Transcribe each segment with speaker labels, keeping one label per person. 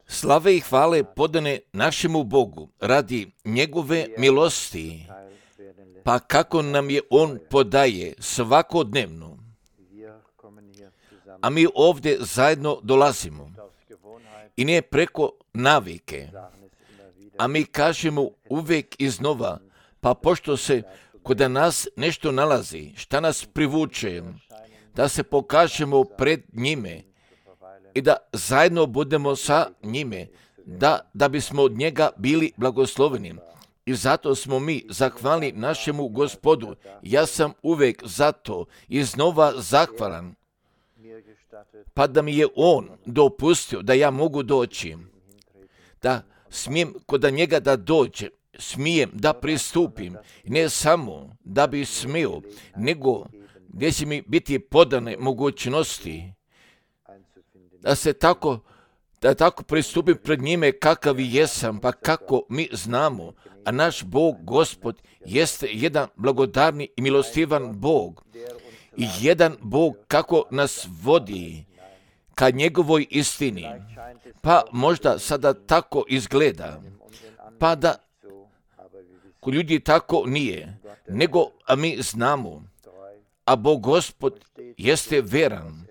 Speaker 1: Slave i hvale podane našemu Bogu radi njegove milosti, pa kako nam je On podaje svakodnevno. A mi ovdje zajedno dolazimo i ne preko navike, a mi kažemo uvijek iznova, pa pošto se kod nas nešto nalazi, šta nas privuče, da se pokažemo pred njime i da zajedno budemo sa njime, da bismo od njega bili blagosloveni. I zato smo mi zahvalni našemu Gospodu. Ja sam uvijek zato iznova zahvalan, pa da mi je On dopustio da ja mogu doći, da smijem kod njega da dođem, smijem da pristupim, ne samo da bi smio, nego gdje će mi biti podane mogućnosti da tako pristupim pred njime kakav jesam, pa kako mi znamo, a naš Bog, Gospod, jeste jedan blagodarni i milostivan Bog i jedan Bog kako nas vodi ka njegovoj istini. Pa možda sada tako izgleda, pa da kod ljudi tako nije, nego a mi znamo, a Bog Gospod jeste veran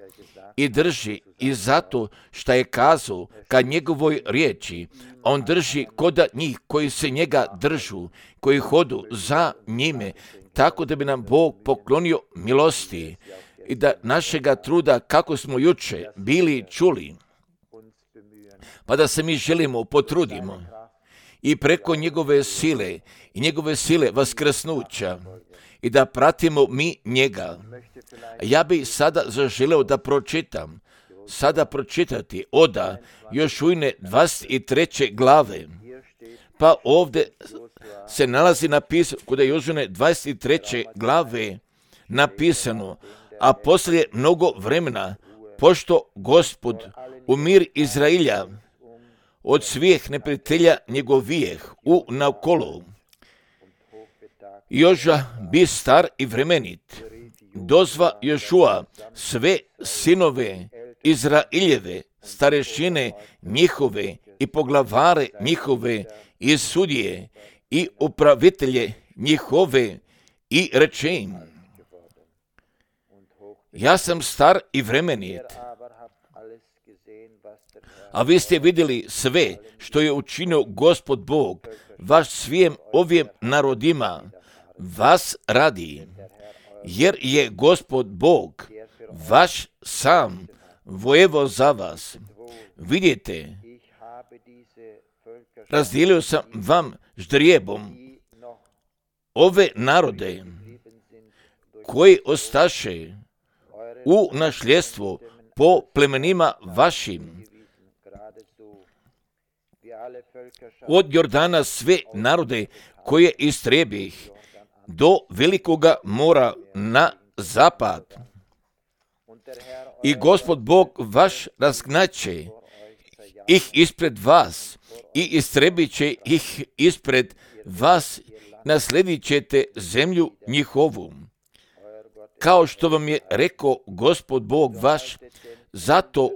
Speaker 1: i drži i zato što je kazao ka njegovoj riječi, on drži kod njih koji se njega držu, koji hodu za njime, tako da bi nam Bog poklonio milosti i da našega truda, kako smo juče bili čuli, pa da se mi želimo potrudimo i preko njegove sile i njegove sile vaskrsnuća i da pratimo mi njega. Ja bih sada zaželeo da pročitati Oda Jošujine 23. glave. Pa ovdje se nalazi napisano, kod Jošujine 23. glave napisano, a poslije mnogo vremena, pošto Gospod u mir Izrailja od svih neprijatelja njegovijeh u naokolo, Joža bi star i vremenit, dozva Jošua sve sinove Izrailjeve, starešine njihove i poglavare njihove i sudije i upravitelje njihove i reče im, ja sam star i vremenit, a vi ste vidjeli sve što je učinio Gospod Bog, vaš svijem ovim narodima, vas radi, jer je Gospod Bog, vaš sam, vojevo za vas. Vidite, razdijelio sam vam ždrijebom ove narode koji ostaše u nasljedstvo po plemenima vašim. Od Jordana sve narode koje istrebih do velikoga mora na zapad. I Gospod Bog vaš razgnaće ih ispred vas i istrebit će ih ispred vas, nasledit ćete zemlju njihovu. Kao što vam je rekao Gospod Bog vaš, zato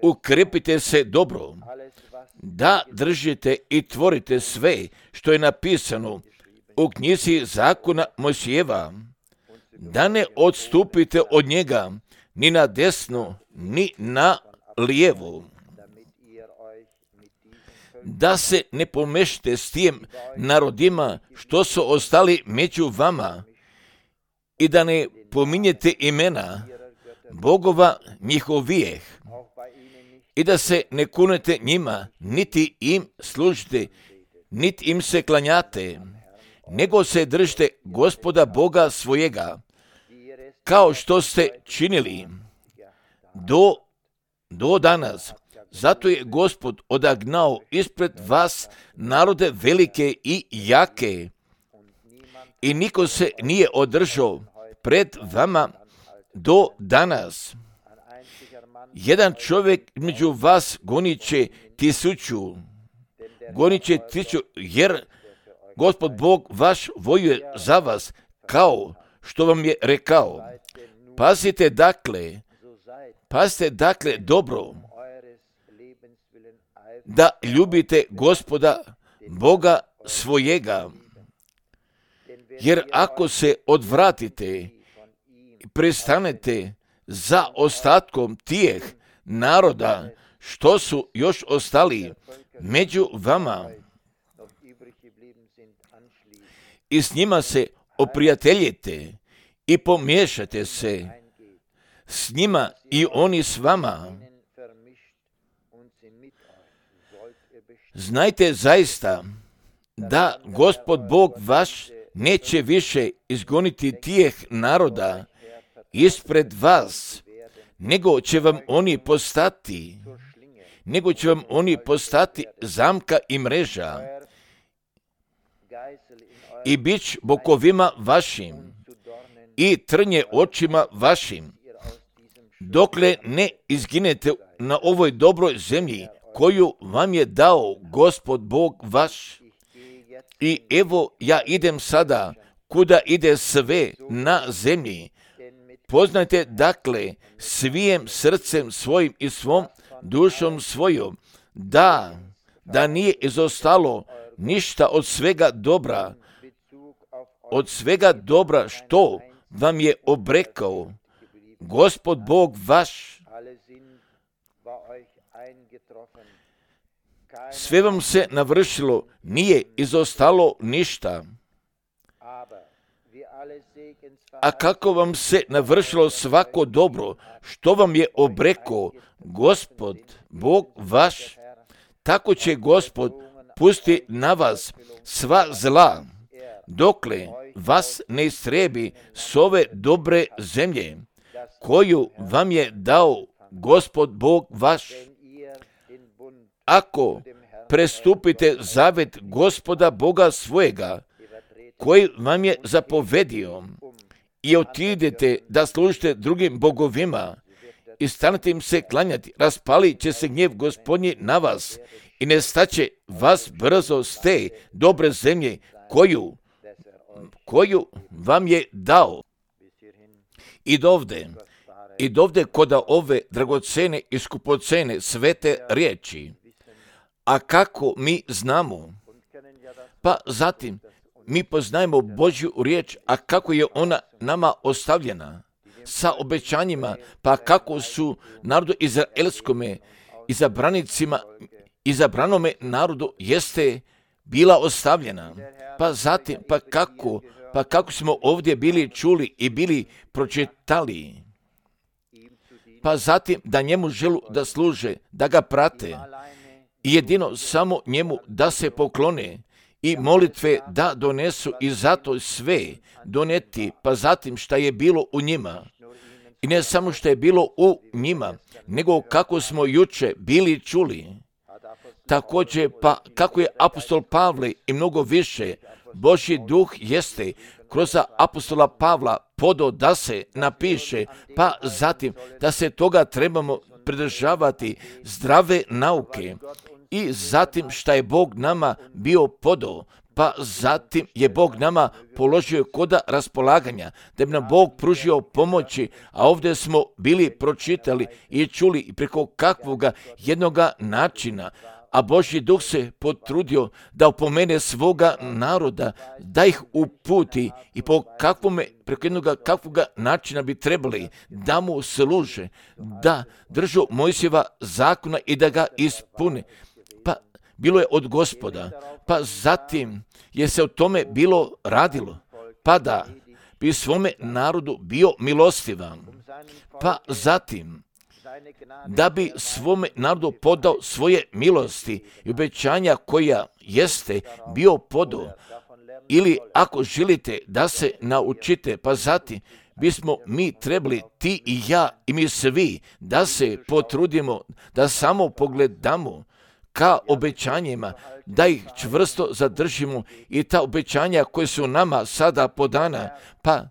Speaker 1: ukrepite se dobro, da držite i tvorite sve što je napisano u knjizi zakona Mojsijeva, da ne odstupite od njega ni na desno, ni na lijevo, da se ne pomešate s tim narodima što su ostali među vama i da ne pominjete imena bogova njihovijeh i da se ne kunete njima, niti im služite, niti im se klanjate, nego se držite Gospoda Boga svojega, kao što ste činili do danas. Zato je Gospod odagnao ispred vas narode velike i jake i niko se nije održao pred vama do danas. Jedan čovjek među vas gonit će 1000, jer Gospod Bog vaš vojuje za vas, kao što vam je rekao. Pazite dakle dobro da ljubite Gospoda Boga svojega. Jer ako se odvratite i prestanete za ostatkom tijeh naroda što su još ostali među vama i s njima se oprijateljite i pomiješate se s njima i oni s vama, znajte zaista da Gospod Bog vaš neće više izgoniti tijeh naroda ispred vas, nego će vam oni postati zamka i mreža i bić bokovima vašim i trnje očima vašim, dokle ne izginete na ovoj dobroj zemlji koju vam je dao Gospod Bog vaš. I evo ja idem sada kuda ide sve na zemlji. Poznajte dakle svijem srcem svojim i svom dušom svojom da nije izostalo ništa od svega dobra što vam je obrekao Gospod Bog vaš. Sve vam se navršilo, nije izostalo ništa. A kako vam se navršilo svako dobro, što vam je obrekao Gospod Bog vaš, tako će Gospod pustiti na vas sva zla, dokle vas ne istrebi s ove dobre zemlje, koju vam je dao Gospod Bog vaš. Ako prestupite zavet Gospoda Boga svojega, koji vam je zapovedio, i otidete da služite drugim bogovima i stanete im se klanjati, raspalit će se gnjev Gospodnji na vas i nestaće vas brzo s te dobre zemlje koju vam je dao. I dovde koda ove dragocene i skupocene svete riječi. A kako mi znamo? Pa zatim mi poznajemo Božju riječ, a kako je ona nama ostavljena sa obećanjima, pa kako su narodu izraelskome, izabranome narodu jeste bila ostavljena. Pa zatim, pa kako smo ovdje bili čuli i bili pročitali, pa zatim da njemu želu da služe, da ga prate i jedino samo njemu da se poklone i molitve da donesu i zato sve doneti, pa zatim šta je bilo u njima. I ne samo što je bilo u njima, nego kako smo juče bili čuli. Također, pa kako je apostol Pavle i mnogo više, Božji duh jeste kroz apostola Pavla podao da se napiše, pa zatim da se toga trebamo pridržavati zdrave nauke. I zatim šta je Bog nama bio podao, pa zatim je Bog nama položio koda raspolaganja, da bi nam Bog pružio pomoći, a ovdje smo bili pročitali i čuli preko kakvoga jednoga načina, a Božji duh se potrudio da opomene svoga naroda, da ih uputi i preko jednoga kakvoga načina bi trebali da mu služe, da držu Mojsijeva zakona i da ga ispune. Pa bilo je od Gospoda, pa zatim je se o tome bilo radilo, pa da bi svome narodu bio milostivan, pa zatim da bi svome narodu podao svoje milosti i obećanja koja jeste bio podao. Ili ako želite da se naučite, pa zatim bismo mi trebali, ti i ja i mi svi, da se potrudimo, da samo pogledamo ka obećanjima, da ih čvrsto zadržimo i ta obećanja koje su nama sada podana, pa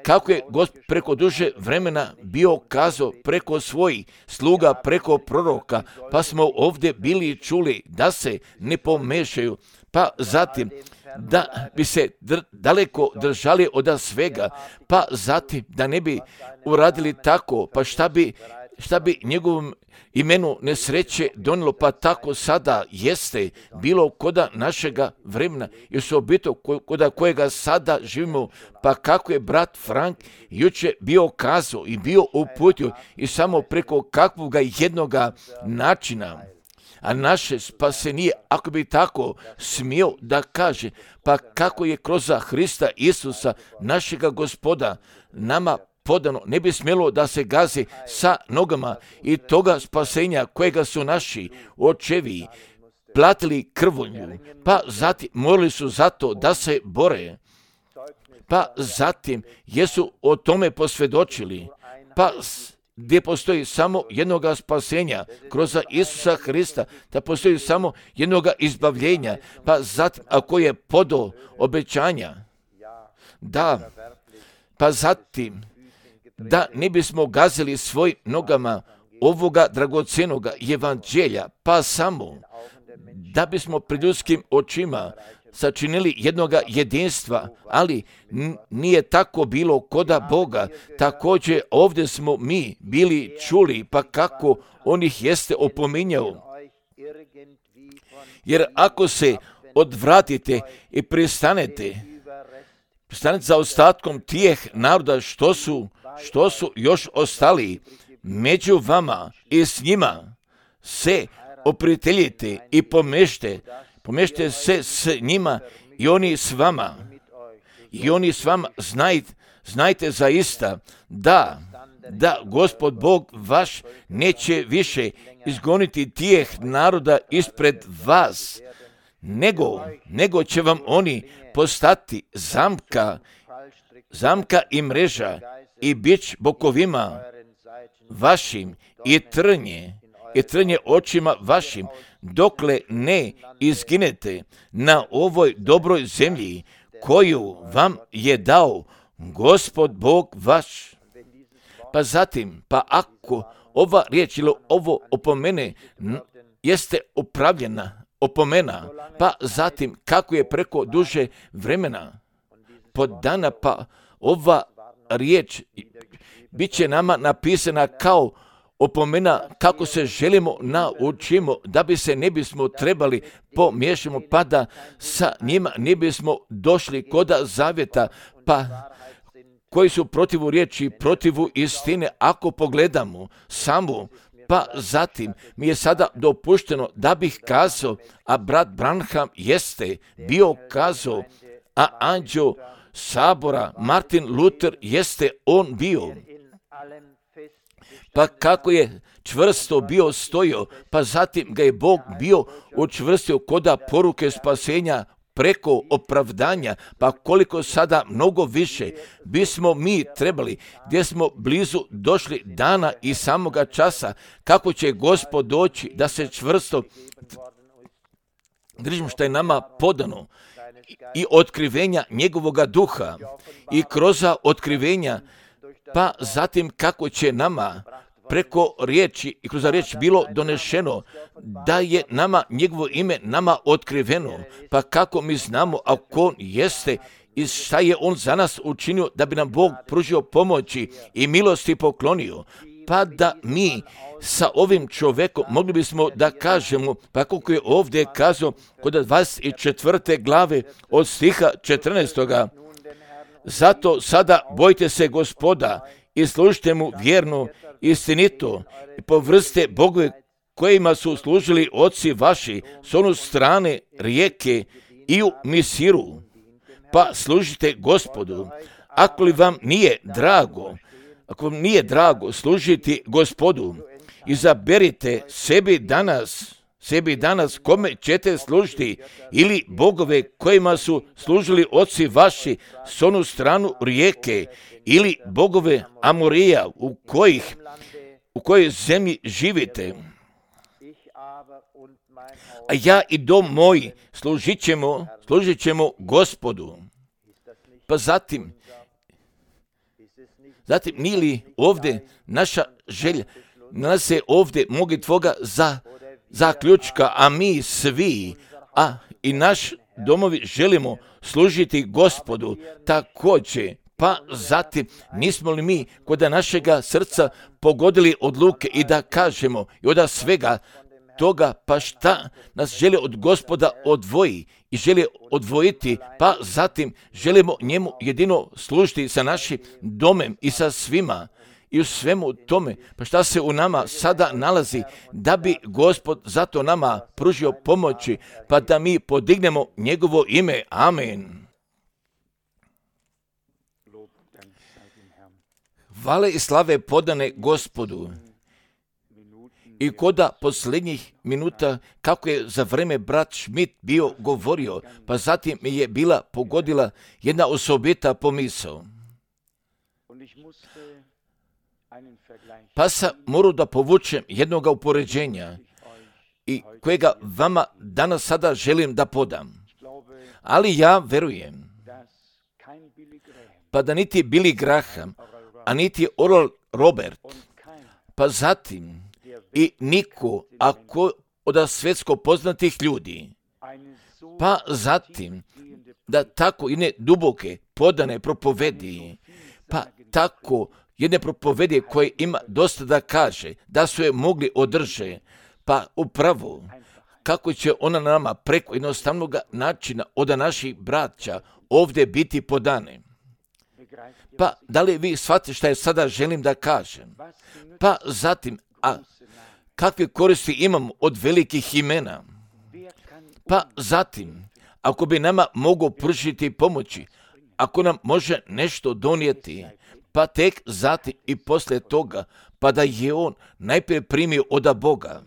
Speaker 1: kako je Gospod preko duže vremena bio kazao preko svojih sluga, preko proroka, pa smo ovdje bili čuli da se ne pomešaju, pa zatim da bi se daleko držali od svega, pa zatim da ne bi uradili tako, pa šta bi šta bi njegovom imenu nesreće donijelo, pa tako sada jeste bilo koda našega vremena i osobito koda kojega sada živimo, pa kako je brat Frank juče bio kazao i bio uputio i samo preko kakvoga jednoga načina, a naše spasenje, ako bi tako smio da kaže, pa kako je kroz Hrista Isusa, našega Gospoda, nama podano, ne bi smjelo da se gazi sa nogama i toga spasenja kojega su naši očevi platili krvlju, pa zatim morali su zato da se bore, pa zatim jesu o tome posvjedočili, pa gdje postoji samo jednoga spasenja kroz Isusa Hrista, da postoji samo jednoga izbavljenja, pa zatim ako je podo obećanja, da, pa zatim da ne bismo gazili svojim nogama ovoga dragocjenoga evanđelja, pa samo da bismo pred ljudskim očima sačinili jednoga jedinstva, ali nije tako bilo koda Boga. Također ovdje smo mi bili čuli, pa kako on ih jeste opominjao. Jer ako se odvratite i pristanete za ostatkom tijeh naroda što su još ostali među vama i s njima se oprijateljite i pomješte se s njima i oni s vama. I oni s vama znajte zaista da Gospod Bog vaš neće više izgoniti tijeh naroda ispred vas, nego će vam oni postati zamka i mreža i bič bokovima vašim i trnje očima vašim, dokle ne izginete na ovoj dobroj zemlji koju vam je dao Gospod Bog vaš. Pa zatim, pa ako ova riječ ili ovo opomene jeste opravljena opomena, pa zatim kako je preko duže vremena podana, pa ova riječ bit će nama napisana kao opomena kako se želimo naučimo, da bi se ne bismo trebali pomiješamo, pa da sa njima ne bismo došli koda zavjeta, pa koji su protivu riječi, protivu istine, ako pogledamo samo, pa zatim mi je sada dopušteno da bih kazao, a brat Branham jeste bio kazao, a anđeo sabora Martin Luther jeste on bio. Pa kako je čvrsto bio stojio, pa zatim ga je Bog bio učvrstio koda poruke spasenja preko opravdanja, pa koliko sada mnogo više bismo mi trebali, gdje smo blizu došli dana i samoga časa, kako će Gospod doći da se čvrsto držimo što je nama podano i otkrivenja njegovoga duha i kroz otkrivenja, pa zatim kako će nama preko riječi i kroz riječ bilo donešeno da je nama njegovo ime nama otkriveno, pa kako mi znamo ako on jeste i šta je on za nas učinio da bi nam Bog pružio pomoći i milosti poklonio, pa da mi sa ovim čovjekom mogli bismo da kažemo, pa kako je ovdje kazao kod 24. glave od stiha 14. Zato sada bojte se Gospoda i služite mu vjerno, istinito i povrste bogove kojima su služili oci vaši s onu strane rijeke i u Misiru, pa služite Gospodu. Ako vam nije drago služiti Gospodu, izaberite sebi danas kome ćete služiti, ili bogove kojima su služili oci vaši s onu stranu rijeke, ili bogove Amorija u kojoj zemlji živite. A ja i dom moj služit ćemo Gospodu. Pa zatim nije li ovdje naša želja, nalaze ovdje mogi tvoga zaključka, a mi svi, a i naš domovi želimo služiti Gospodu također Pa zatim, nismo li mi kod našega srca pogodili odluke i da kažemo i od svega toga, pa šta nas želi od Gospoda odvoji i želi odvojiti, pa zatim želimo njemu jedino služiti sa našim domem i sa svima i u svemu tome, pa šta se u nama sada nalazi da bi Gospod zato nama pružio pomoći, pa da mi podignemo njegovo ime. Amen. Hvale i slave podane Gospodu. I koda posljednjih minuta, kako je za vreme brat Schmidt bio govorio, pa zatim mi je bila pogodila jedna osobita pomisao. Pa sam morao da povučem jednog upoređenja i kojega vama danas sada želim da podam. Ali ja verujem, pa da niti Billy Graham, a niti Oral Robert, pa zatim i niko od svjetsko poznatih ljudi, pa zatim da tako jedne duboke podane propovedi, pa tako jedne propovedi koje ima dosta da kaže, da su je mogli održe, pa upravo kako će ona nama preko jednostavnog načina od naših braća ovdje biti podane. Pa da li vi shvatite šta je sada želim da kažem? Pa zatim, kakve koristi imamo od velikih imena? Pa zatim, ako bi nama mogo pružiti pomoći, ako nam može nešto donijeti, pa tek zatim i poslije toga, pa da je on najprije primio od Boga.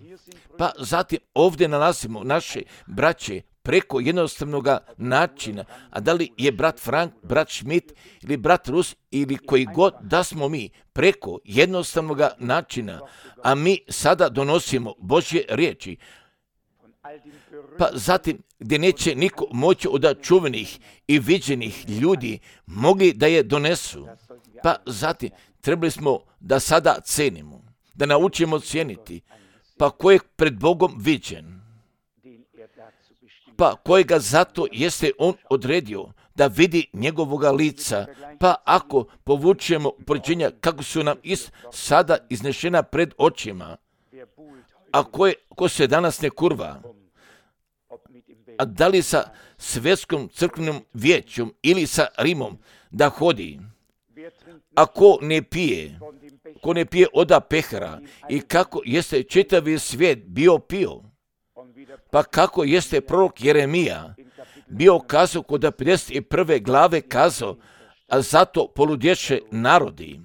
Speaker 1: Pa zatim ovdje nalazimo naše braće preko jednostavnog načina, a da li je brat Frank, brat Schmidt ili brat Rus ili koji god da smo mi preko jednostavnog načina, a mi sada donosimo Božje riječi, pa zatim gdje neće niko moći od čuvenih i viđenih ljudi mogli da je donesu, pa zatim trebali smo da sada cenimo, da naučimo cijeniti, pa ko je pred Bogom viđen, pa kojega zato jeste on odredio da vidi njegovoga lica, pa ako povučemo upoređenja kako su nam sada iznešena pred očima, a ko se danas ne kurva, a da li sa svjetskom crkvenom vijećom ili sa Rimom da hodi, a ko ne pije od pehara i kako jeste čitavi svijet bio pio, pa kako jeste prorok Jeremija bio kazao kod 51. glave kazao, a zato poludješe narodi,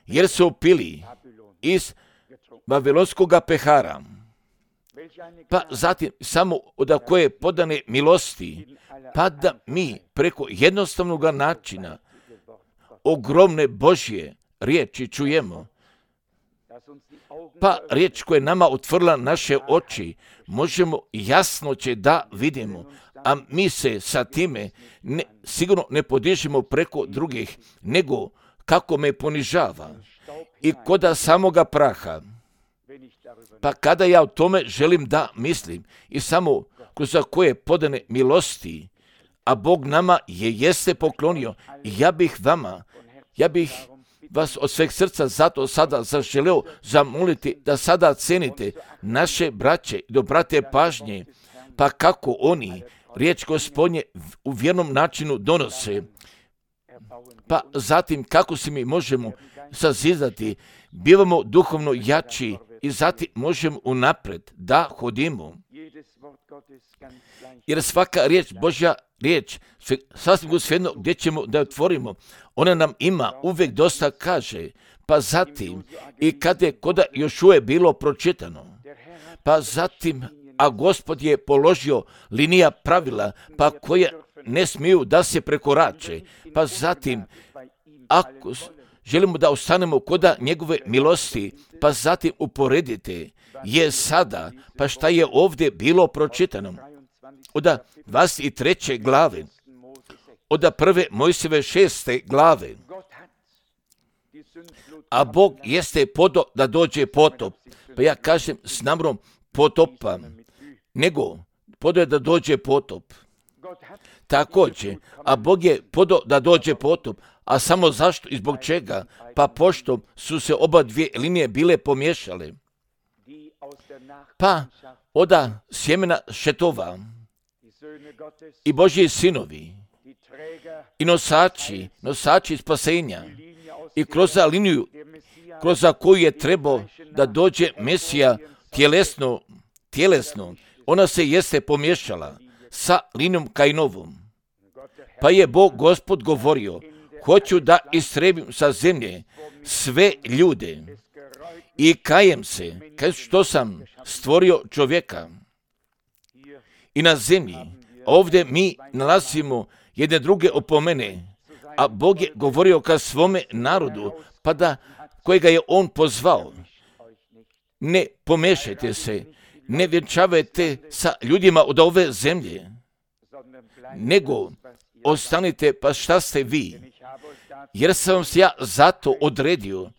Speaker 1: jer su pili iz babilonskog pehara. Pa zatim samo od koje podane milosti, pa da mi preko jednostavnog načina ogromne Božje riječi čujemo, pa riječ koja je nama otvorila naše oči, možemo jasno će da vidimo, a mi se sa time sigurno ne podižemo preko drugih, nego kako me ponižava i koda samoga praha. Pa kada ja o tome želim da mislim i samo kroz koje podane milosti, a Bog nama jeste poklonio, i ja bih vas od sveg srca zato sada zaželeo zamoliti da sada cenite naše braće i da obrate pažnje, pa kako oni riječ Gospodnje u vjernom načinu donose, pa zatim kako se mi možemo sazidati, bivamo duhovno jači i zatim možemo unapred da hodimo. Jer svaka riječ, Božja riječ, sasvim svejedno gdje ćemo da otvorimo, ona nam ima uvijek dosta kaže, pa zatim i kada je koda još uvijek bilo pročitano, pa zatim, a Gospod je položio linija pravila, pa koje ne smiju da se prekorače, pa zatim, ako želimo da ostanemo koda njegove milosti, pa zatim uporedite je sada, pa šta je ovdje bilo pročitano. Od 23. glave, od prve Mojsijeve 6. glave, a Bog jeste podo da dođe potop, pa ja kažem s namrom potopa, nego podo je da dođe potop. Također, a Bog je podao da dođe potop, a samo zašto i zbog čega? Pa pošto su se oba dvije linije bile pomiješale. Pa oda sjemena šetova i Božji sinovi i nosači spasenja i kroz liniju kroz koju je trebao da dođe Mesija tjelesno, ona se jeste pomiješala sa linijom Kainovom. Pa je Bog Gospod govorio, hoću da istrebim sa zemlje sve ljude i kajem se, što sam stvorio čovjeka. I na zemlji, ovdje mi nalazimo jedne druge opomene, a Bog je govorio ka svome narodu, pa da kojega je on pozvao. Ne pomešajte se, ne vjenčavajte sa ljudima od ove zemlje, nego ostanite pa šta ste vi, jer sam vas ja zato odredio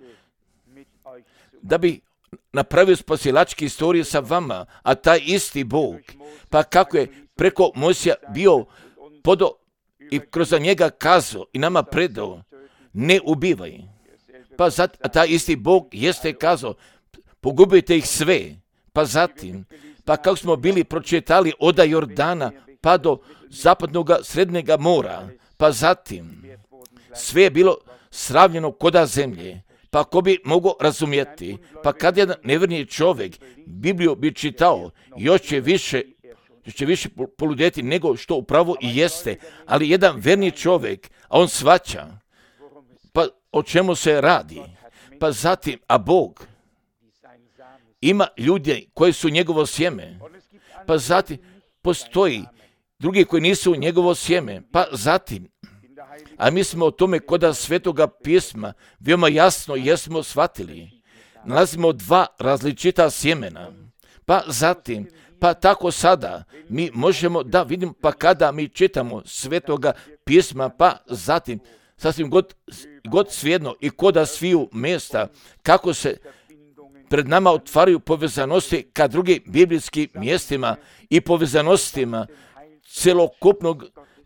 Speaker 1: da bi napravio spasilačke istorije sa vama, a taj isti Bog, pa kako je preko Mojsija bio podao i kroz njega kazao i nama predao, ne ubivaj. Pa a taj isti Bog jeste kazao, pogubite ih sve. Pa zatim, pa kako smo bili pročitali od Jordana pa do zapadnog srednjega mora, pa zatim, sve je bilo sravnjeno koda zemlje. Pa ko bi mogao razumjeti, pa kad jedan nevjerni čovjek Bibliju bi čitao, još će više poludjeti nego što upravo i jeste, ali jedan verni čovjek, a on shvaća, pa o čemu se radi, pa zatim, a Bog ima ljude koji su njegovo sjeme, pa zatim postoji drugi koji nisu njegovo sjeme, pa zatim, a mi smo o tome koda Svetoga pisma veoma jasno jesmo shvatili. Nalazimo dva različita sjemena, pa zatim, pa tako sada mi možemo da vidimo, pa kada mi čitamo Svetoga pisma, pa zatim, sasvim god svijedno i koda sviju mjesta, kako se pred nama otvaraju povezanosti ka drugim biblijskim mjestima i povezanostima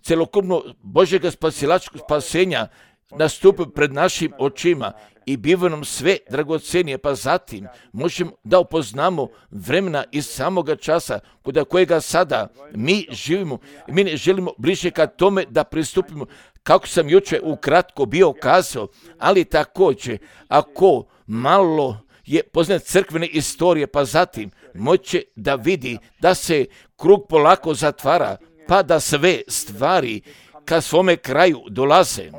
Speaker 1: celokupno Božjega spasilačkog spasenja nastupi pred našim očima i biva nam sve dragocenije, pa zatim možemo da upoznamo vremena iz samoga časa kod kojega sada mi živimo i mi ne želimo bliže ka tome da pristupimo, kako sam jučer ukratko bio kazao, ali također ako malo je poznat crkvene istorije, pa zatim moće da vidi da se krug polako zatvara, pa da sve stvari ka svome kraju dolaze.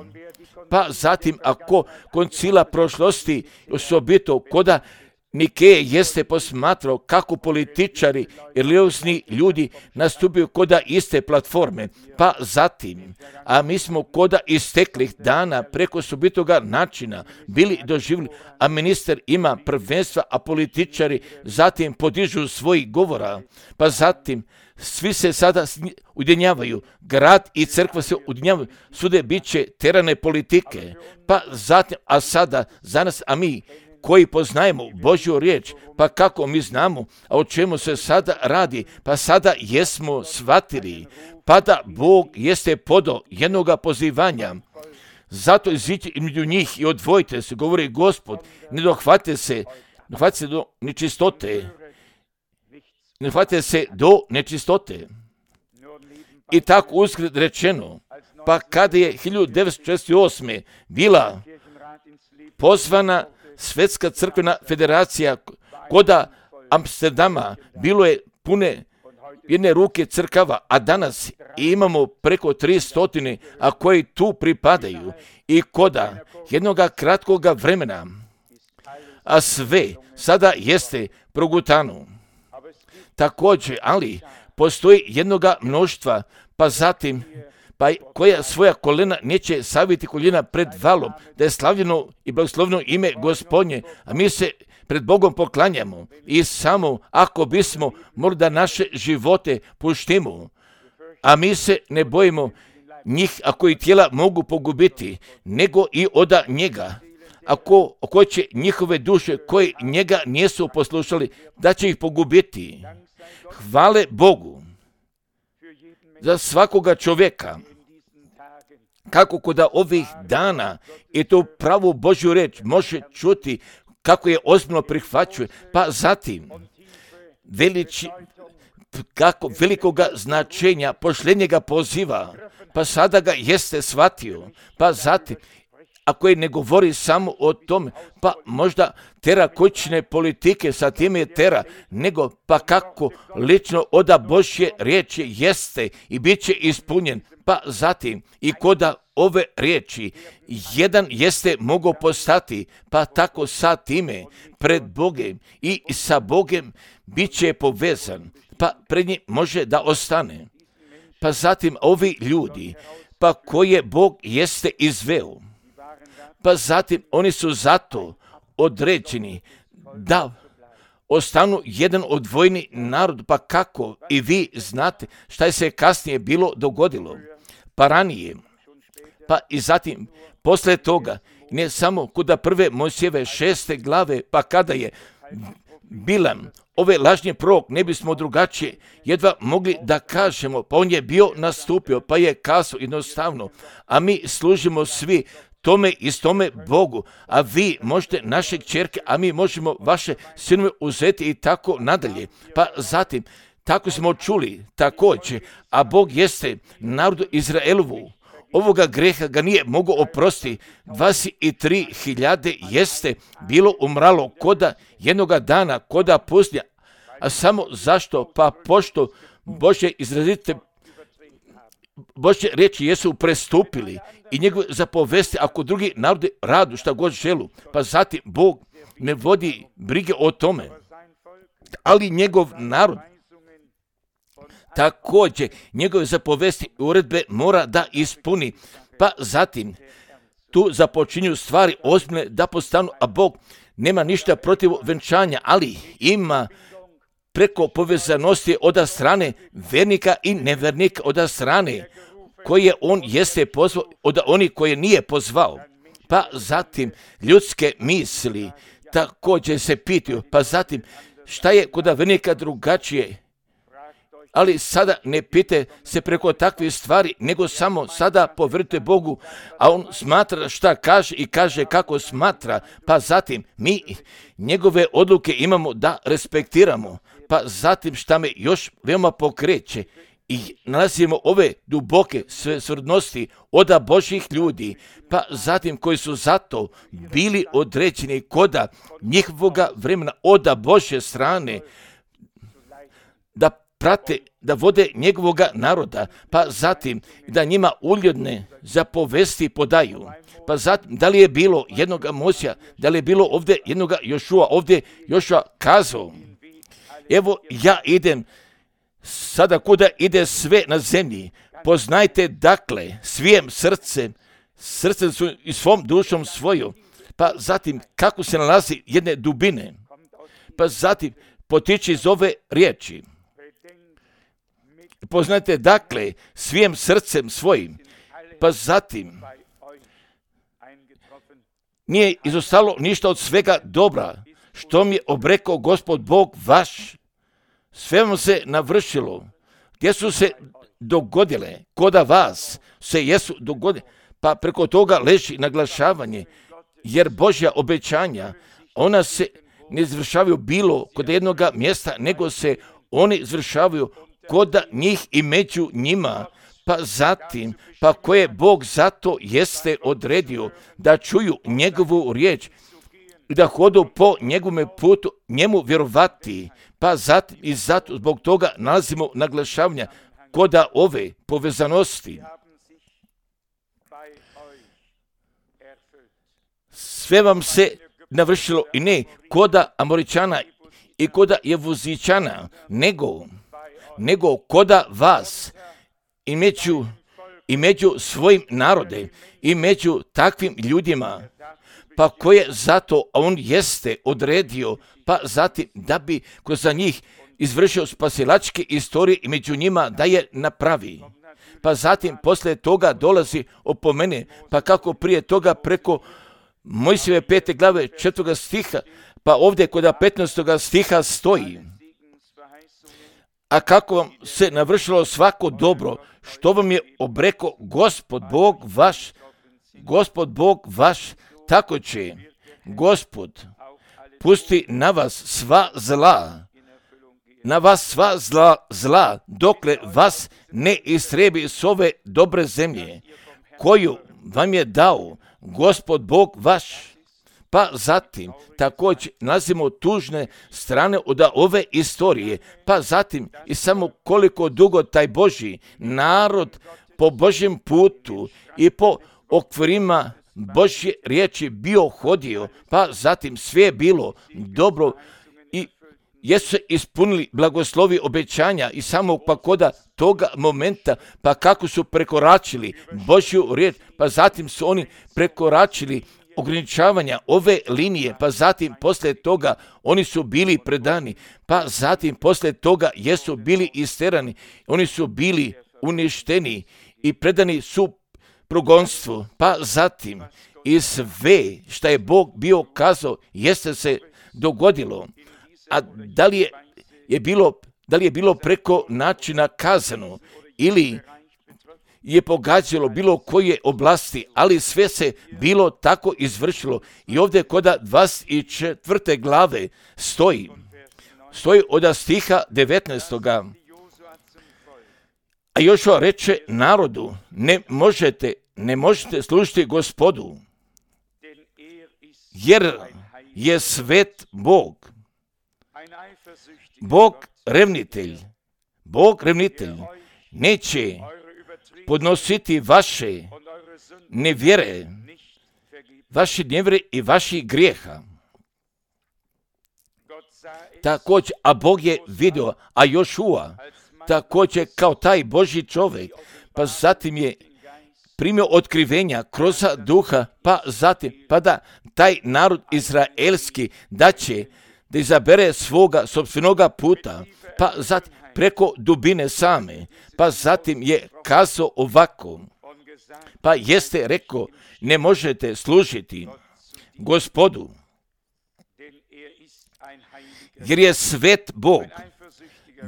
Speaker 1: Pa zatim ako koncila prošlosti, osobito koda Nikeje jeste posmatrao kako političari i religiosni ljudi nastupaju koda iste platforme, pa zatim, a mi smo koda isteklih dana preko osobitoga načina bili doživjeli, a ministar ima prvenstva, a političari zatim podižu svojih govora, pa zatim svi se sada ujedinjavaju, grad i crkva se ujedinjavaju, sude bit će terane politike, pa zatim, a sada za nas, a mi koji poznajemo Božju riječ, pa kako mi znamo, a o čemu se sada radi, pa sada jesmo shvatili, pa da Bog jeste podao jednoga pozivanja, zato iziđite između njih i odvojite se, govori Gospod, ne dohvate se do nečistote, ne dohvate se do nečistote. I tako uskred rečeno, pa kada je 1948. bila pozvana Svetska crkvena federacija koda Amsterdama, bilo je pune jedne ruke crkava, a danas imamo preko 300, a koji tu pripadaju i koda jednoga kratkoga vremena, a sve sada jeste progutano. Također, ali postoji jednoga mnoštva, pa zatim, pa koja svoja kolena neće saviti koljena pred valom, da je slavljeno i blagoslovno ime Gospodnje, a mi se pred Bogom poklanjamo i samo ako bismo morali da naše živote puštimo, a mi se ne bojimo njih, a koji tijela mogu pogubiti, nego i od njega, ako će njihove duše koji njega nisu poslušali, da će ih pogubiti. Hvale Bogu za svakoga čovjeka. Kako kod ovih dana i tu pravu Božju reč može čuti kako je ozbiljno prihvaćuje, pa zatim kako velikoga značenja pošljenjega poziva, pa sada ga jeste shvatio, pa zatim ako je ne govori samo o tome, pa možda tera kućne politike, sa time je tera, nego pa kako lično oda Božje riječi jeste i bit će ispunjen, pa zatim i koda ove riječi jedan jeste mogao postati, pa tako sa time pred Bogem i sa Bogem bit će povezan, pa pred njim može da ostane. Pa zatim ovi ljudi, pa koje Bog jeste izveo, pa zatim oni su zato određeni da ostanu jedan odvojeni narod, pa kako i vi znate šta je se kasnije bilo dogodilo, pa ranije, pa i zatim posle toga, ne samo kod prve Mojsijeve 6. glave, pa kada je Bilam, ove lažnje prorok, ne bismo drugačije jedva mogli da kažemo, pa on je bio nastupio, pa je kazao jednostavno, a mi služimo svi tome istome Bogu, a vi možete naše kćerke, a mi možemo vaše sinove uzeti i tako nadalje. Pa zatim, tako smo čuli također, a Bog jeste narodu Izraelovu, ovoga greha ga nije mogao oprostiti, 23.000 jeste bilo umralo koda jednoga dana, koda pustinja, a samo zašto? Pa pošto Božje izrazite Božje riječi jesu prestupili i njegove zapovesti, ako drugi narodi radu šta god želu, pa zatim Bog ne vodi brige o tome, ali njegov narod također njegove zapovesti i uredbe mora da ispuni, pa zatim tu započinju stvari ozbiljne da postanu, a Bog nema ništa protiv venčanja, ali ima preko povezanosti od strane vernika i nevernika, od strane koje on jeste pozvao, od onih koje nije pozvao. Pa zatim ljudske misli također se pitaju, pa zatim šta je kod vernika drugačije, ali sada ne pite se preko takvih stvari, nego samo sada poverujte Bogu, a on smatra šta kaže i kaže kako smatra, pa zatim mi njegove odluke imamo da respektiramo, pa zatim šta me još veoma pokreće i nalazimo ove duboke svrdnosti od Božjih ljudi, pa zatim koji su zato bili određeni koda njihovoga vremena od Božje strane, da prate, da vode njegovoga naroda, pa zatim da njima uljudne zapovesti podaju. Pa zatim, da li je bilo jednoga Mojsija, da li je bilo ovdje jednoga Jošua, ovdje Jošua kazao, evo ja idem sada kuda ide sve na zemlji, poznajte dakle svijem srcem su i svom dušom svoju, pa zatim kako se nalazi jedne dubine, pa zatim potiče iz ove riječi. Poznajte dakle svijem srcem svojim, pa zatim nije izostalo ništa od svega dobra, što mi je obrekao Gospod Bog vaš, sve vam se navršilo, gdje su se dogodile, koda vas se jesu dogodile, pa preko toga leži naglašavanje, jer Božja obećanja, ona se ne izvršavaju bilo kod jednoga mjesta, nego se oni izvršavaju koda njih i među njima, pa zatim, pa koje Bog zato jeste odredio da čuju njegovu riječ i da hodu po njegovome putu njemu vjerovati, pa zatim i zato zbog toga nalazimo naglašavanja koda ove povezanosti. Sve vam se navršilo i ne koda Amoričana i koda Jevuzičana, nego koda vas i među svojim narode i među takvim ljudima, pa koje zato on jeste odredio, pa zatim da bi kroz njih izvršio spasilačke istorije i među njima da je napravi. Pa zatim posle toga dolazi opomene, pa kako prije toga preko Mojsijeve 5. glave 4. stiha, pa ovdje kod 15. stiha stoji, a kako vam se navršilo svako dobro, što vam je obreko Gospod Bog vaš, tako će Gospod pusti na vas sva zla, dokle vas ne istrebi s ove dobre zemlje, koju vam je dao Gospod Bog vaš. Pa zatim također nalazimo tužne strane od ove istorije, pa zatim i samo koliko dugo taj Božji narod po Božjem putu i po okvirima Božje riječi bio hodio, pa zatim sve je bilo dobro i jesu se ispunili blagoslovi obećanja i samo pa koda toga momenta, pa kako su prekoračili Božju riječ, pa zatim su oni prekoračili ograničavanja ove linije, pa zatim poslije toga oni su bili predani, pa zatim poslije toga jesu bili isterani, oni su bili uništeni i predani su progonstvu, pa zatim i sve što je Bog bio kazao jeste se dogodilo. A da li je bilo preko načina kazano ili je pogađalo bilo koje oblasti, ali sve se bilo tako izvršilo. I ovdje kod 24. glave stoji od stiha 19. A Jošua reče narodu, ne možete služiti Gospodu, jer je svet Bog. Bog revnitelj neće podnositi vaše nevjere i vaših grijeha. Također, a Bog je vidio, a Jošua također kao taj Božji čovjek, pa zatim je primio otkrivenja kroz duha, pa zatim, pa da taj narod izraelski da izabere svoga sopstvenoga puta, pa zatim preko dubine same, pa zatim je kazao ovako, pa jeste rekao, ne možete služiti Gospodu, jer je svet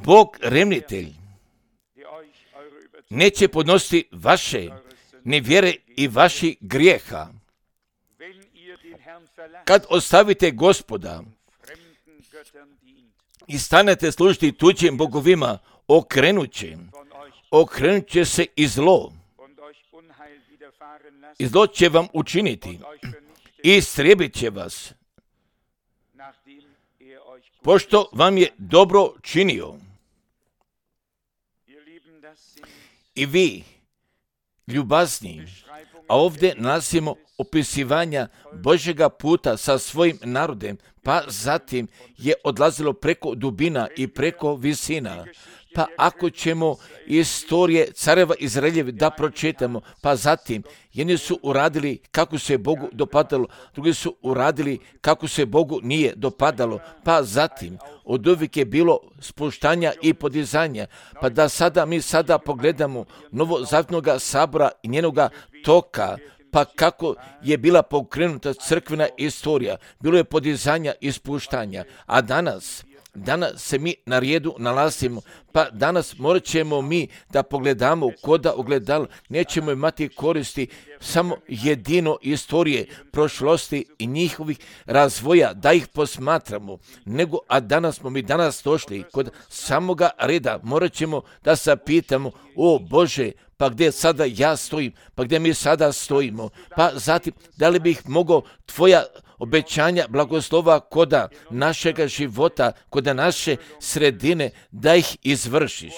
Speaker 1: Bog revnitelj, neće podnositi vaše nevjere i vaših grijeha. Kad ostavite Gospoda i stanete služiti tuđim bogovima, okrenut će se i zlo. I zlo će vam učiniti i istrijebit će vas, pošto vam je dobro činio. I vi, ljubazni, a ovdje nalazimo opisivanja Božjega puta sa svojim narodem, pa zatim je odlazilo preko dubina i preko visina. Pa ako ćemo istorije careva Izraeljevi da pročitamo, pa zatim jedni su uradili kako se Bogu dopadalo, drugi su uradili kako se Bogu nije dopadalo, pa zatim od uvijek je bilo spuštanja i podizanja, pa da mi sada pogledamo novozavjetnoga sabora i njenoga toka, pa kako je bila pokrenuta crkvena istorija, bilo je podizanja i spuštanja, a danas se mi na redu nalazimo, pa danas morat ćemo mi da pogledamo koda ogledalo, nećemo imati koristi samo jedino istorije prošlosti i njihovih razvoja, da ih posmatramo, nego, a danas smo mi došli kod samoga reda, morat ćemo da se pitamo, o Bože, pa gdje sada ja stojim, pa gdje mi sada stojimo, pa zatim, da li bih mogao tvoja obećanja blagoslova koda našega života, koda naše sredine, da ih izvršiš.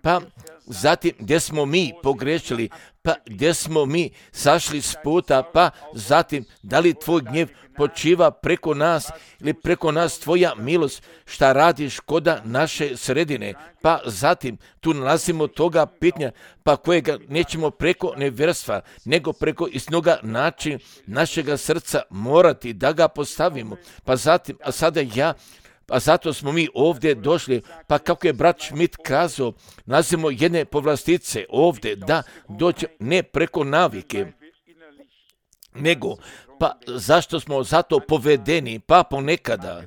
Speaker 1: Pa zatim gdje smo mi pogrešili, pa gdje smo mi sašli s puta, pa zatim da li tvoj gnjev počiva preko nas ili preko nas tvoja milost, šta radiš koda naše sredine, pa zatim tu nalazimo toga pitanja, pa kojega nećemo preko nevjerstva, nego preko istinoga načina našega srca morati da ga postavimo, pa zatim, a zato smo mi ovdje došli, pa kako je brat Schmidt kazao, nalazimo jedne povlastice ovdje, da dođe ne preko navike, nego, pa zašto smo zato povedeni, pa ponekada,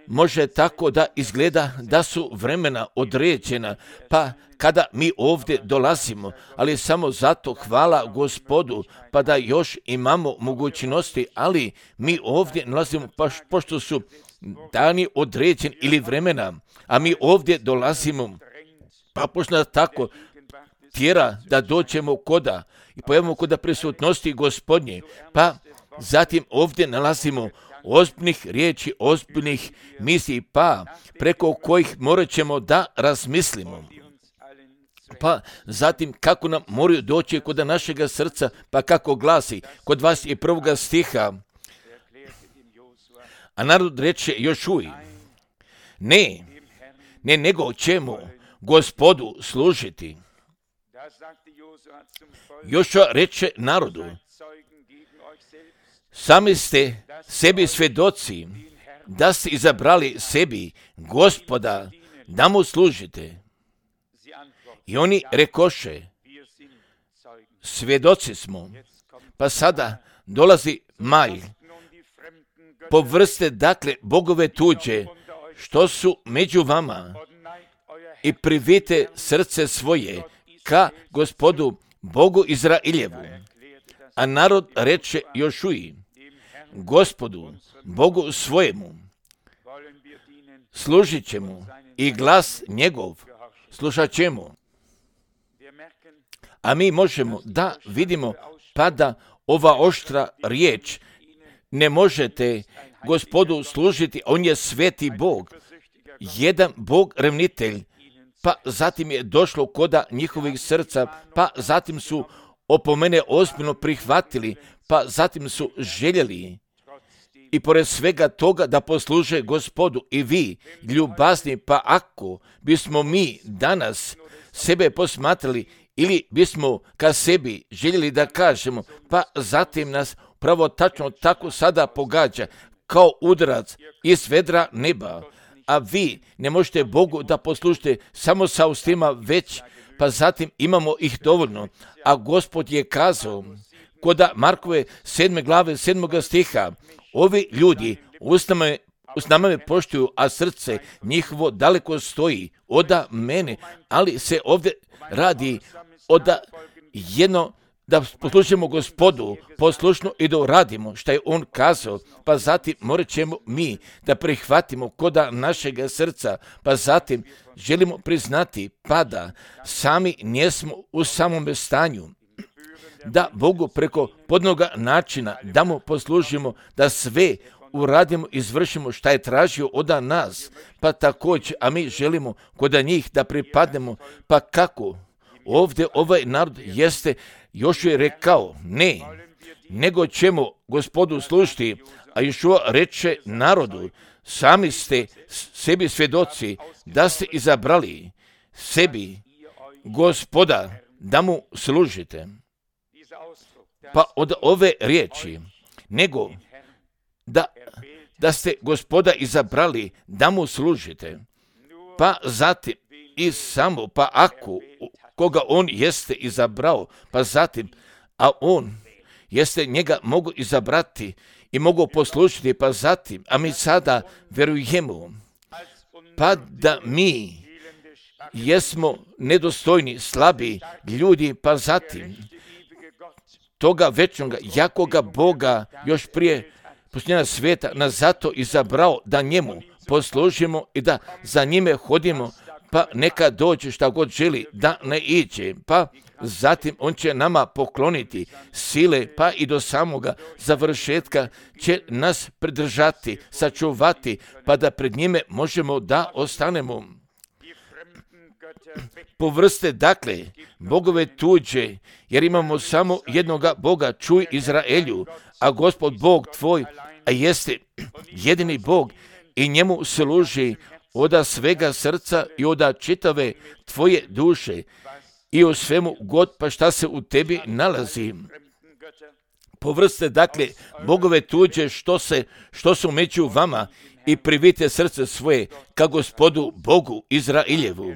Speaker 1: može tako da izgleda da su vremena određena, pa kada mi ovdje dolazimo, ali samo zato hvala Gospodu, pa da još imamo mogućnosti, ali mi ovdje nalazimo pošto su dani određeni ili vremena, a mi ovdje dolazimo, pa pošto nas tako tjera da dođemo koda i pojavimo koda prisutnosti Gospodnje, pa zatim ovdje nalazimo ozbiljnih riječi, ozbiljnih misli, pa preko kojih morat ćemo da razmislimo. Pa zatim kako nam moraju doći kod našega srca, pa kako glasi kod vas je 1. stiha. A narod reče Jošuji, ne, nego ćemo Gospodu služiti. Jošua reče narodu, sami ste sebi svedoci da ste izabrali sebi Gospoda da mu služite. I oni rekoše, svjedoci smo. Pa sada dolazi maj. Povrste dakle bogove tuđe, što su među vama, i privite srce svoje ka Gospodu Bogu Izraeljevu. A narod reče Jošuji, Gospodu Bogu svojemu služit ćemo i glas njegov slušat ćemo. A mi možemo da vidimo pa da ova oštra riječ, ne možete Gospodu služiti, on je sveti Bog, jedan Bog revnitelj, pa zatim je došlo koda njihovih srca, pa zatim su opomene ozbiljno prihvatili, pa zatim su željeli i pored svega toga da posluže Gospodu. I vi, ljubazni, pa ako bismo mi danas sebe posmatrali ili bismo ka sebi željeli da kažemo, pa zatim nas pravo tačno tako sada pogađa kao udarac iz vedra neba, a vi ne možete Bogu da poslušite samo sa ustima već, pa zatim imamo ih dovoljno. A Gospod je kazao koda Markove 7. glave 7. stiha, ovi ljudi usnama me poštuju, a srce njihovo daleko stoji oda mene, ali se ovdje radi da poslušamo Gospodu poslušno i da uradimo što je on kazao, pa zatim morat ćemo mi da prihvatimo koda našega srca, pa zatim želimo priznati pa da sami njesmo u samome stanju, da Bogu preko podnoga načina da mu poslužimo, da sve uradimo, izvršimo šta je tražio od nas, pa također, a mi želimo kod njih da pripadnemo, pa kako? Ovdje ovaj narod jeste, još je rekao, ne, nego ćemo Gospodu služiti, a Jošua reče narodu, sami ste sebi svjedoci da ste izabrali sebi Gospoda da mu služite. Pa od ove riječi, nego da ste Gospoda izabrali da mu služite, pa zatim i samo, pa ako koga on jeste izabrao, pa zatim, a on jeste njega mogu izabrati i mogu poslušiti, pa zatim, a mi sada verujemo, pa da mi jesmo nedostojni, slabi ljudi, pa zatim toga večnoga, jakoga Boga još prije posljednjega svijeta nas zato izabrao da njemu poslužimo i da za njime hodimo, pa neka dođe šta god želi da ne iđe, pa zatim on će nama pokloniti sile, pa i do samoga završetka će nas pridržati, sačuvati, pa da pred njime možemo da ostanemo. Povrste dakle bogove tuđe, jer imamo samo jednoga Boga, čuj Izraelju, a Gospod Bog tvoj, a jeste jedini Bog i njemu služi oda svega srca i oda čitave tvoje duše i o svemu god pa šta se u tebi nalazi. Povrste dakle bogove tuđe što su među vama i privite srce svoje ka Gospodu Bogu Izraeljevu.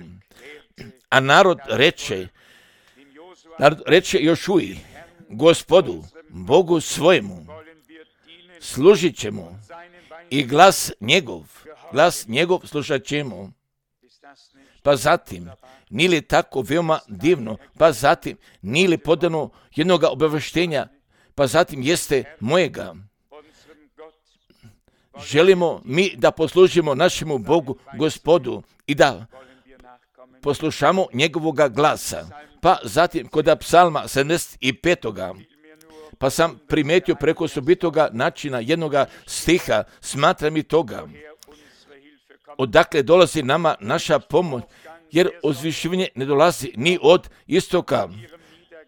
Speaker 1: A narod reče Jošuji, Gospodu Bogu svojemu služit ćemo i glas njegov glas njegov slušat ćemo. Pa zatim, nije li tako veoma divno, pa zatim, nije li podano jednoga obavještenja, pa zatim jeste mojega. Želimo mi da poslužimo našemu Bogu, Gospodu, i da poslušamo njegovoga glasa. Pa zatim, kod psalma 75. Pa sam primetio preko osobitoga načina jednoga stiha, smatram i toga. Odakle dolazi nama naša pomoć, jer uzvišivanje ne dolazi ni od istoka,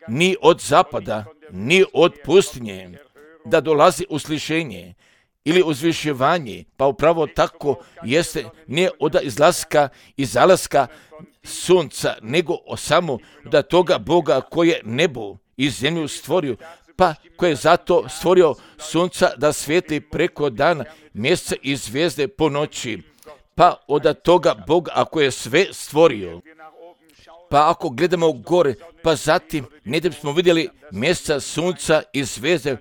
Speaker 1: ni od zapada, ni od pustinje, da dolazi uslišenje ili uzvišivanje, pa upravo tako jeste, ne od izlaska i zalaska sunca, nego samo da toga Boga koje nebo i zemlju stvorio, pa koje je zato stvorio sunca da svijetli preko dana, mjeseca i zvijezde po noći. Pa od toga Boga ako je sve stvorio, pa ako gledamo gore, pa zatim ne da bismo vidjeli mjeseca, sunca i zvijezde,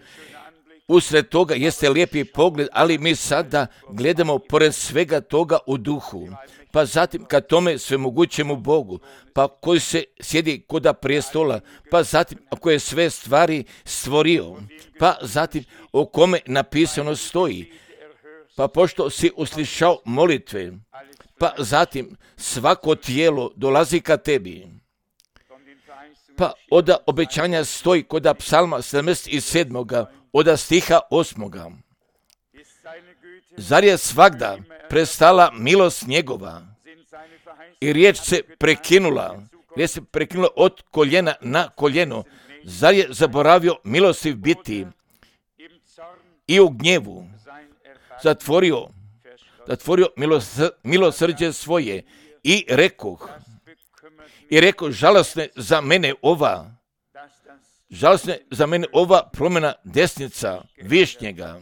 Speaker 1: usred toga jeste lijepi pogled, ali mi sada gledamo pored svega toga u duhu. Pa zatim ka tome svemogućemu Bogu, pa koji se sjedi koda prijestola, pa zatim ako je sve stvari stvorio, pa zatim o kome napisano stoji, pa pošto si uslišao molitve, pa zatim svako tijelo dolazi ka tebi. Pa od obećanja stoji kod psalma 77. od stiha 8. Zar je svagda prestala milost njegova i riječ se prekinula od koljena na koljeno? Zar je zaboravio milostiv biti i u gnjevu zatvorio milosrđe svoje i rekoh, žalosne za mene ova promjena desnica višnjega.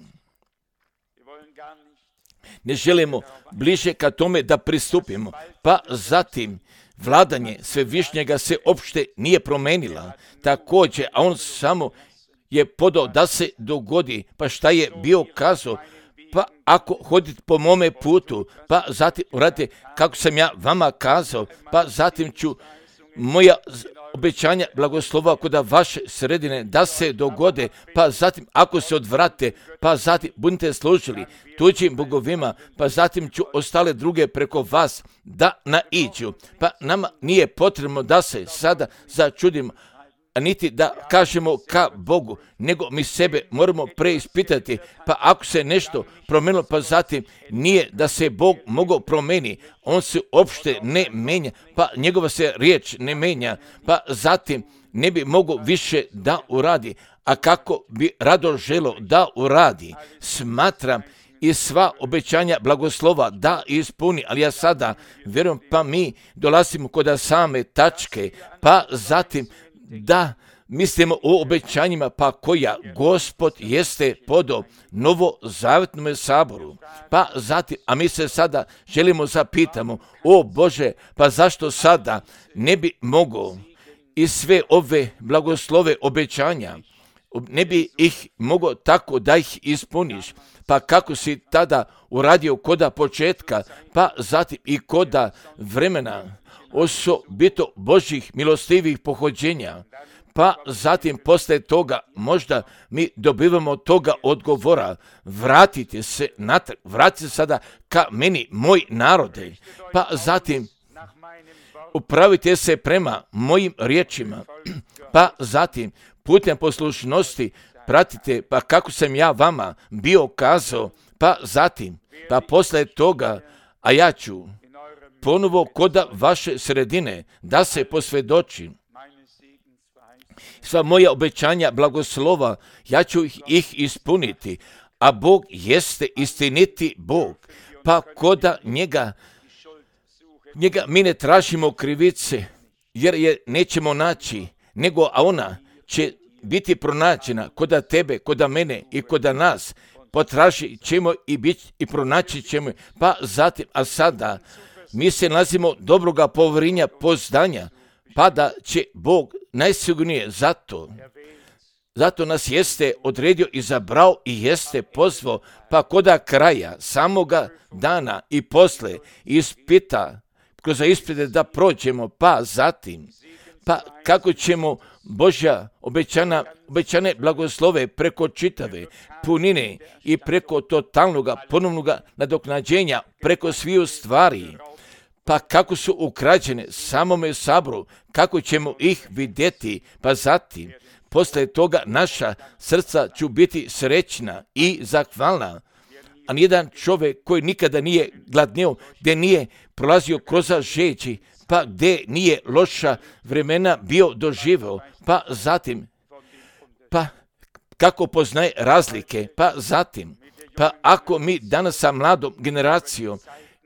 Speaker 1: Ne želimo bliže ka tome da pristupimo, pa zatim vladanje svevišnjega se opšte nije promenila. Također, a on samo je podao da se dogodi, pa šta je bio kazao, pa ako hodite po mome putu, pa zatim uradite kako sam ja vama kazao, pa zatim ću moja obećanja blagoslova kod vaše sredine da se dogode, pa zatim ako se odvrate, pa zatim budete služili tuđim bogovima, pa zatim ću ostale druge preko vas da naiđu. Pa nama nije potrebno da se sada začudimo, a niti da kažemo ka Bogu, nego mi sebe moramo preispitati, pa ako se nešto promenilo, pa zatim nije da se Bog mogao promeni, on se uopšte ne menja, pa njegova se riječ ne menja, pa zatim ne bi mogao više da uradi, a kako bi rado želo da uradi. Smatram i sva obećanja blagoslova da ispuni, ali ja sada vjerujem, pa mi dolazimo kod same tačke, pa zatim da mislimo o obećanjima, pa koja Gospod jeste podao novozavetnom saboru. Pa zatim, a mi se sada želimo zapitamo, o Bože, pa zašto sada ne bi mogao i sve ove blagoslove obećanja, ne bi ih mogao tako da ih ispuniš, pa kako si tada uradio koda početka, pa zatim i koda vremena, osobito Božjih milostivih pohođenja, pa zatim posle toga možda mi dobivamo toga odgovora, vratite se natrag, vratite se sada ka meni, moj narode, pa zatim upravite se prema mojim riječima, pa zatim putem poslušnosti pratite, pa kako sam ja vama bio kazao, pa zatim, pa posle toga, a ja ću ponovo koda vaše sredine da se posvjedočim. Sva moja obećanja blagoslova, ja ću ih ispuniti, a Bog jeste istiniti Bog, pa koda njega mi ne tražimo krivice, jer je nećemo naći, nego a ona će biti pronađena koda tebe, koda mene i koda nas, potražit ćemo i biti i pronaći ćemo, pa zatim, a sada mi se nalazimo dobroga poverenja, poznanja, pa da će Bog najsigurnije zato Zato nas jeste odredio, izabrao i jeste pozvao, pa koda kraja samoga dana i posle ispita, kroz ispite da prođemo, pa zatim, pa kako ćemo Božja obećane blagoslove preko čitave punine i preko totalnog ponovnog nadoknađenja, preko sviju stvari, pa kako su ukrađene samome saboru, kako ćemo ih vidjeti, pa zatim, posle toga naša srca će biti srećna i zahvalna. A nijedan čovjek koji nikada nije gladnio, gdje nije prolazio kroz žeđi, pa gdje nije loša vremena bio doživio, pa zatim, pa kako poznaje razlike, pa zatim, pa ako mi danas sa mladom generacijom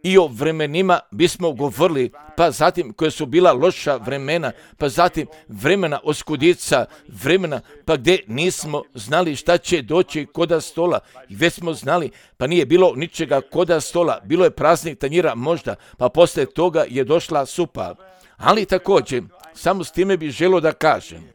Speaker 1: i o vremenima bismo govorili, pa zatim koje su bila loša vremena, pa zatim vremena oskudica, vremena pa gdje nismo znali šta će doći koda stola, i već smo znali, pa nije bilo ničega koda stola, bilo je praznih tanjira možda, pa poslije toga je došla supa. Ali također, samo s time bih želio da kažem,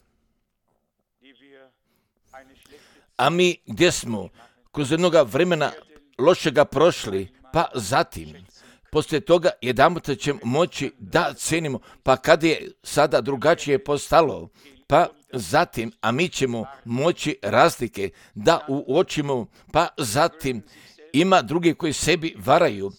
Speaker 1: a mi gdje smo kroz jednoga vremena lošega prošli, pa zatim, poslije toga jedanputa ćemo moći da cenimo, pa kad je sada drugačije postalo, pa zatim, a mi ćemo moći razlike da uočimo, pa zatim ima drugi koji sebi varaju,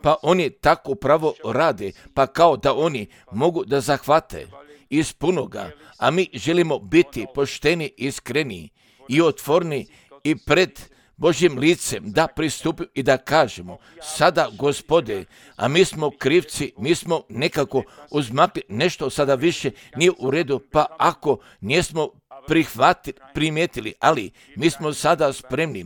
Speaker 1: pa oni tako pravo rade, pa kao da oni mogu da zahvate iz punoga, a mi želimo biti pošteni, iskreni i otvorni i pred Božjim licem da pristupimo i da kažemo, sada Gospode, a mi smo krivci, mi smo nekako uzmakli, nešto sada više nije u redu, pa ako nismo primijetili, ali mi smo sada spremni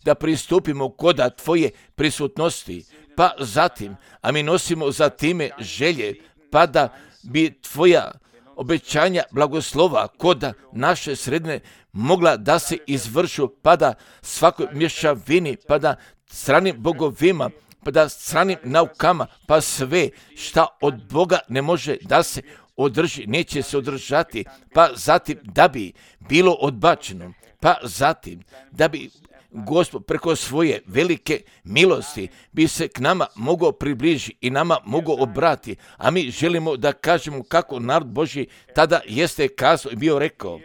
Speaker 1: da pristupimo koda Tvoje prisutnosti, pa zatim, a mi nosimo za time želje, pa da bi Tvoja obećanja blagoslova koda naše sredine mogla da se izvršu, pa da svakoj mješavini, pa da stranim bogovima, pa da stranim naukama, pa sve šta od Boga ne može da se održi, neće se održati, pa zatim da bi bilo odbačeno, pa zatim da bi Gospod preko svoje velike milosti bi se k nama mogao približiti i nama mogao obrati, a mi želimo da kažemo kako narod Božji tada jeste kazao i bio rekao,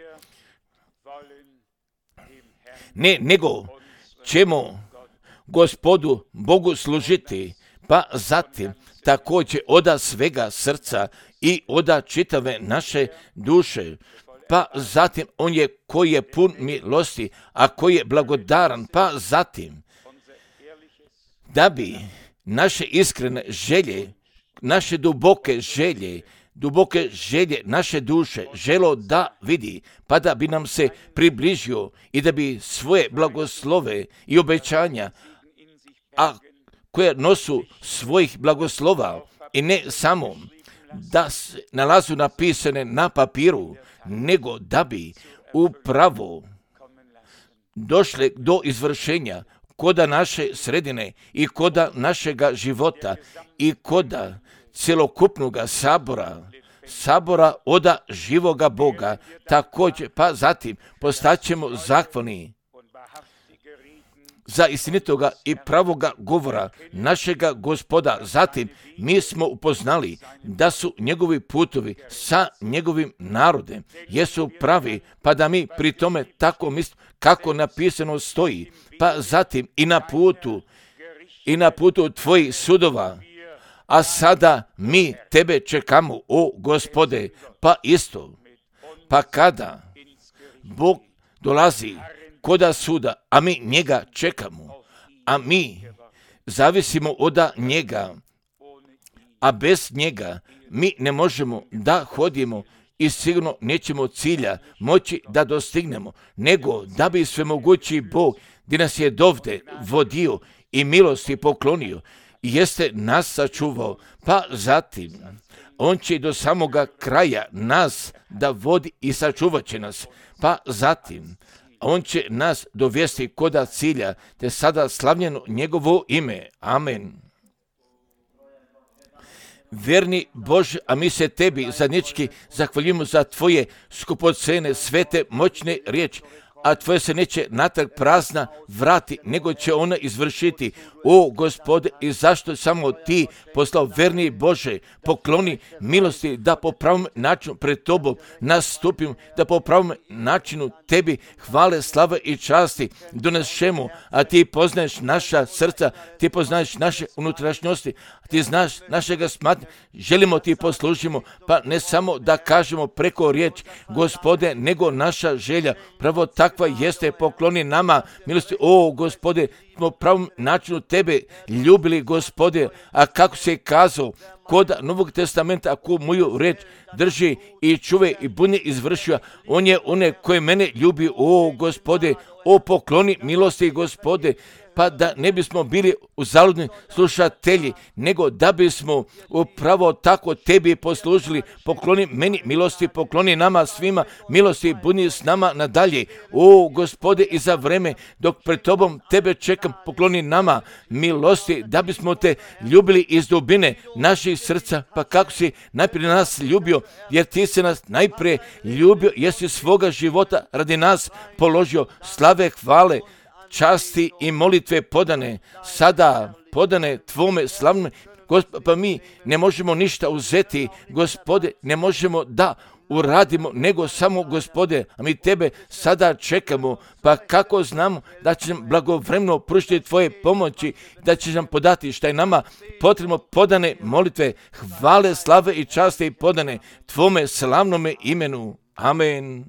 Speaker 1: ne, nego ćemo Gospodu Bogu služiti, pa zatim također oda svega srca i oda čitave naše duše, pa zatim on je koji je pun milosti, a koji je blagodaran, pa zatim da bi naše iskrene želje, naše duboke želje naše duše želo da vidi, pa da bi nam se približio i da bi svoje blagoslove i obećanja, a koje nosu svojih blagoslova i ne samo da se nalazu napisane na papiru, nego da bi upravo došle do izvršenja koda naše sredine i koda našega života i koda cjelokupnog sabora oda živoga Boga, također, pa zatim postaćemo zahvalni za istinitoga i pravoga govora našega Gospoda. Zatim mi smo upoznali da su njegovi putovi sa njegovim narodem jesu pravi, pa da mi pri tome tako mislimo kako napisano stoji, pa zatim i na putu tvojih sudova. A sada mi tebe čekamo, o Gospode, pa isto, pa kada Bog dolazi koda suda, a mi njega čekamo, a mi zavisimo od njega, a bez njega mi ne možemo da hodimo i sigurno nećemo cilja moći da dostignemo, nego da bi svemogući Bog, gdje nas je dovde vodio i milosti poklonio, jeste nas sačuvao, pa zatim on će do samoga kraja nas da vodi i sačuvat će nas, pa zatim on će nas dovesti koda cilja, te sada slavljeno njegovo ime. Amen. verni Bože, a mi se tebi zadnjički zahvaljujemo za tvoje skupocene, svete, moćne riječi, a tvoje se neće natrag prazna vrati, nego će ona izvršiti. O Gospode, i zašto samo ti poslao verni Bože, pokloni milosti da po pravom načinu pred tobom nastupim, da po pravom načinu tebi hvale, slave i časti donesemo, a ti poznaješ naša srca, ti poznaješ naše unutrašnjosti, ti znaš našega smatnja, želimo ti poslužimo, pa ne samo da kažemo preko riječ, Gospode, nego naša želja, pravo takva jeste, pokloni nama milosti. O Gospode, po pravom načinu tebe ljubili, Gospode, a kako se kazao kod Novog testamenta, ako moju reč drži i čuve i bude izvršio, on je one koje mene ljubi. O Gospode, o pokloni milosti, Gospode, pa da ne bismo bili uzaludni slušatelji, nego da bismo upravo tako tebi poslužili. Pokloni meni milosti, pokloni nama svima milosti, budi s nama nadalje. O Gospode, i za vreme dok pred tobom tebe čekam, pokloni nama milosti, da bismo te ljubili iz dubine naših srca. Pa kako si najprije nas ljubio, jer ti si nas najprije ljubio, jer si svoga života radi nas položio. Slave, hvale, časti i molitve podane, sada podane tvome slavnome, pa mi ne možemo ništa uzeti, Gospode, ne možemo da uradimo, nego samo, Gospode, a mi tebe sada čekamo, pa kako znamo da će nam blagovremeno pružiti tvoje pomoći, da će nam podati šta je nama potrebno, podane molitve, hvale, slave i časti podane tvome slavnome imenu. Amen.